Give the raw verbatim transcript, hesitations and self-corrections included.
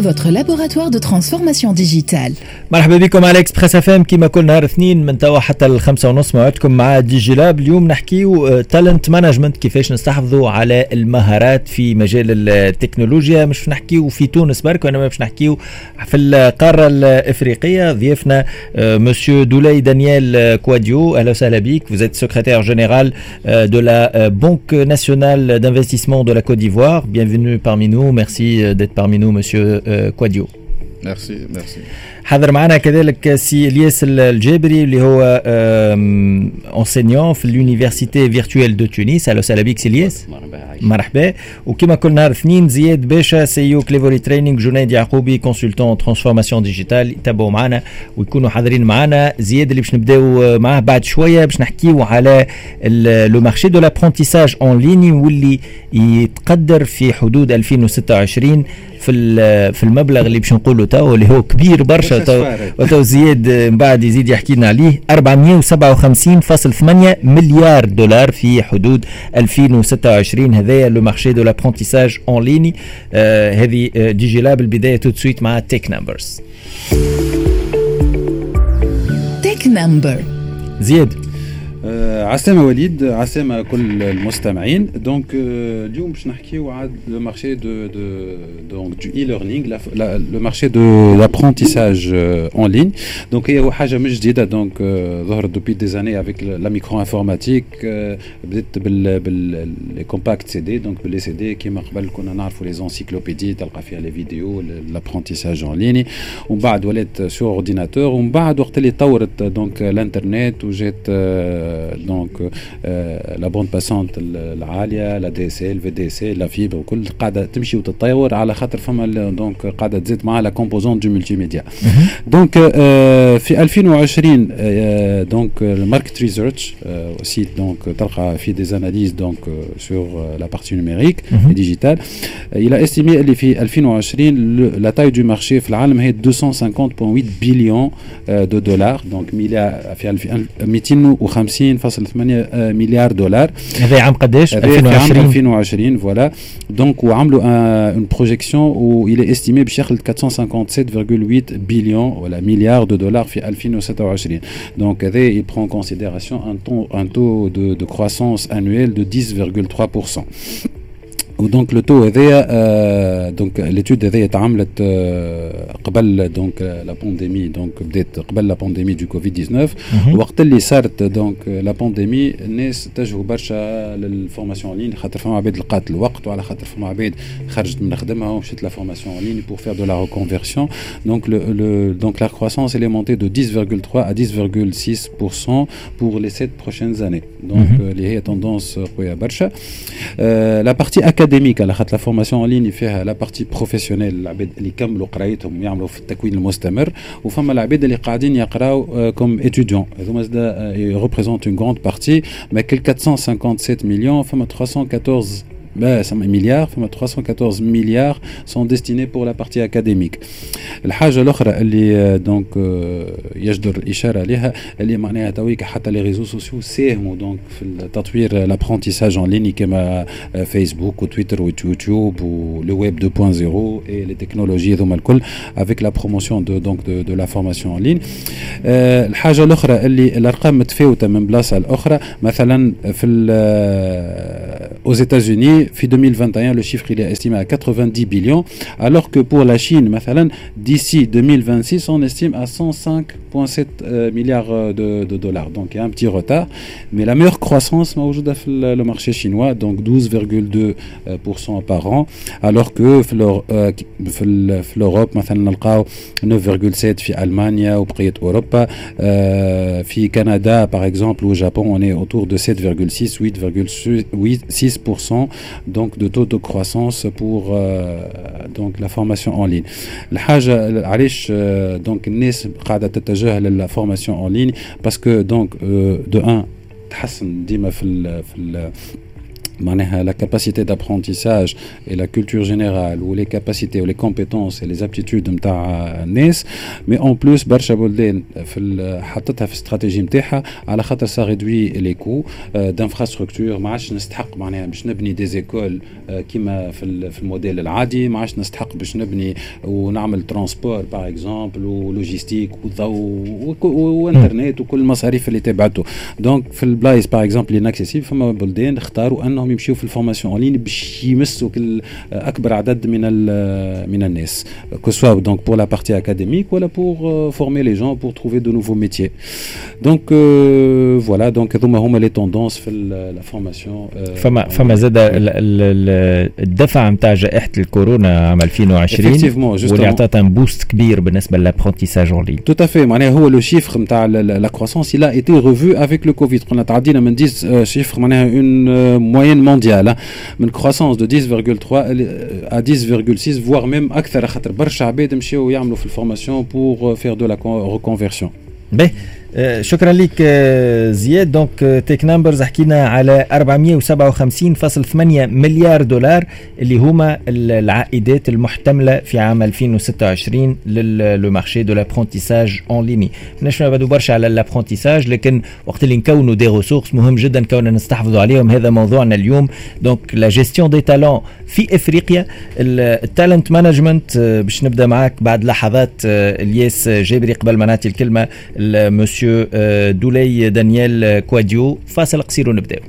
votre laboratoire de transformation digitale. مرحبا بكم على Express FM، كما كل نهار اثنين من توا حتى الخمسة ونص موعدكم مع DigiLab. اليوم نحكيو talent management، كيفاش نستحفظوا على المهارات في مجال التكنولوجيا. مش نحكيو في تونس برك وانما باش نحكيو في القارة الافريقيه. ضيفنا مسيو دولاي دانيال كواديو، اهلا وسهلا بك. Vous êtes secrétaire général de la Banque nationale d'investissement de la Côte d'Ivoire. Bienvenue parmi nous. Merci d'être parmi nous, monsieur Kouadio. Merci, merci. حاضر معنا كذلك سي الياس الجابري اللي هو enseignant في l'université virtuelle de Tunis. اهلا وسهلا بك سي الياس. مرحبا. مرحبا. وكما كل نهار اثنين زياد باشا، CEO Clevory Training، جنيد يعقوبي، consultant transformation digitale، يتابعوا معنا ويكونوا حاضرين معنا. زياد اللي باش نبداو معاه بعد شويه، باش نحكيو على le marché de l'apprentissage en ligne واللي يتقدر في حدود ألفين وستة وعشرين في في المبلغ اللي باش نقولوا تو، اللي هو كبير برشا. تو وتو زياد من بعد يزيد يحكي لنا عليه، أربعمية وسبعة وخمسين فاصل ثمانية مليار دولار في حدود ألفين وستة وعشرين. هذايا le marché de l'apprentissage en ligne. هذه DigiLab، البداية tout de suite مع Tech Numbers. Tech Number. زياد. آه عسلامة وليد، عسلامة كل المستمعين. donc آه اليوم باش نحكيو على le marché de de donc du e-learning، le marché de l'apprentissage en ligne. donc هي حاجة مش جديدة، donc ظهرت depuis des années avec la micro-informatique. بدات بال بال les compacts CD، donc بال les CD، كيما قبل كنا نعرفوا les encyclopédies تلقى فيها les vidéos، l'apprentissage en ligne. ومن بعد ولات sur ordinateur، ومن بعد وقت اللي طورت donc الانترنت وجات donc la bande passante العاليه، لا دي اس ال في دي اس ال، لا فيبر وكل، قاعدة تمشي وتتطور على خاطر فما donc قاعدة تزيد معها la composante du multimédia. donc في ألفين وعشرين donc ال market research site، donc تلقى في des analyses donc sur la partie numérique digitale، il a estimé اللي في ألفين وعشرين la taille du marché في العالم هي deux cent cinquante virgule huit billions de dollars، donc مليار في ميتين وخمسين فاصل ثمانية مليار دولار. هذا عام قداش؟ ألفين وعشرين. ألفين وعشرين، voilà. donc وعملوا une projection où il est estimé باش يخلط quatre cent cinquante-sept virgule huit billions ولا milliards de dollars في ألفين وستة وعشرين. donc هذا il prend en considération un taux, un taux de, de croissance annuel de dix virgule trois pour cent. و donc le taux هذايا، donc l'étude هذايا تعملت قبل donc la pandémie، donc بدات قبل la pandémie du Covid dix-neuf. وقت اللي صارت donc la pandémie، الناس اتجهوا برشا لل formation en ligne، خاطر فما عباد لقات الوقت، وعلى خاطر فما عباد خرجت من خدمها ومشات la formation en ligne pour faire de la reconversion. donc le donc la croissance elle est montée de dix virgule trois à dix virgule six pour cent pour les sept prochaines années، donc اللي هي tendance قوية برشا. la partie académique، على خاطر la formation en ligne فيها la partie professionnelle، العباد اللي كملوا قرايتهم ويعملوا في التكوين المستمر، وفما العباد اللي قاعدين يقراو comme étudiants، هذوما زاد représentent une grande partie. ما كل quatre cent cinquante-sept millions، فما trois cent quatorze milliards، فما trois cent quatorze milliards sont destinés pour la partie académique. الحاجة الاخرى اللي donc يجدر الاشارة لها، اللي معناها تويك حتى les réseaux sociaux ساهموا donc في التطوير l'apprentissage en ligne، كما فيسبوك وتويتر ويوتيوب و le web deux point zéro et les technologies هذوما الكل avec la promotion de donc de, de la formation en ligne. الحاجة الاخرى اللي الارقام متفاوتة من بلاصة لاخرى. مثلا في aux États-Unis في deux mille vingt et un le chiffre il est estimé à quatre-vingt-dix billions، alors que pour la Chine مثلا d'ici deux mille vingt-six on estime à cent cinq virgule sept milliards de, de dollars. donc il y a un petit retard، mais la meilleure croissance موجودة في le marché chinois، donc douze virgule deux pour cent par an، alors que في في l'Europe مثلا نلقاو neuf virgule sept في المانيا وبقية اوروبا. في كندا par exemple au Japon on est autour de sept virgule six، huit virgule six pour cent donc de taux de croissance pour euh, donc la formation en ligne. الحاجة علاش donc الناس قاعدة تتجه لل formation en ligne؟ parce que donc de un تحسن ديما في ال في ال معناها la capacité d'apprentissage et la culture générale و les capacités و les compétences et les aptitudes نتاع الناس. mais en plus برشا بلدان في حطتها في الاستراتيجي نتاعها على خاطر ça réduit les coûts d'infrastructure. ما عادش نستحق معناها باش نبني des écoles كيما في في الموديل العادي، ما عادش نستحق باش نبني ونعمل transport par exemple و logistique وضوء وانترنت وكل المصاريف اللي تبعته. donc في البلايص par exemple inaccessibles، فما بلدان اختاروا انهم يمشيو في ال formation en ligne باش يمسوا كل اكبر عدد من من الناس، que ce soit donc pour la partie académique ولا pour former les gens pour trouver de nouveaux métiers. donc voilà، donc هذوما هما les tendances في la formation. فما فما زاد الدفع نتاع جائحة الكورونا عام ألفين وعشرين واللي عطات un boost كبير بالنسبة لل apprentissage en ligne. tout à fait، معناها هو le chiffre نتاع la croissance il a été revu avec le Covid. قلنا تعدينا من dix chiffres، معناها une moyenne mondiale من croissance de dix virgule trois à dix virgule six voire même اكثر، خاطر برشا عباد مشاو يعملوا في ال formation pour faire de la reconversion. باهي، آه، شكرا لك آه، زياد. donc Tech Numbers حكينا على أربعمية وسبعة وخمسين فاصل ثمانية مليار دولار اللي هما العائدات المحتملة في عام ألفين وستة وعشرين le marché de l'apprentissage en ligne. ماناش نبعدوا برشا على l'apprentissage، لكن وقت اللي نكونوا des ressources مهم جدا كوننا نستحفظوا عليهم. هذا موضوعنا اليوم، donc la gestion des talents في افريقيا، ال talent management. باش نبدا معاك بعد لحظات آه، الياس جابري، قبل ما نعطي الكلمة مسيو دولي دانيال كواديو، فاصل قصير ونبداو.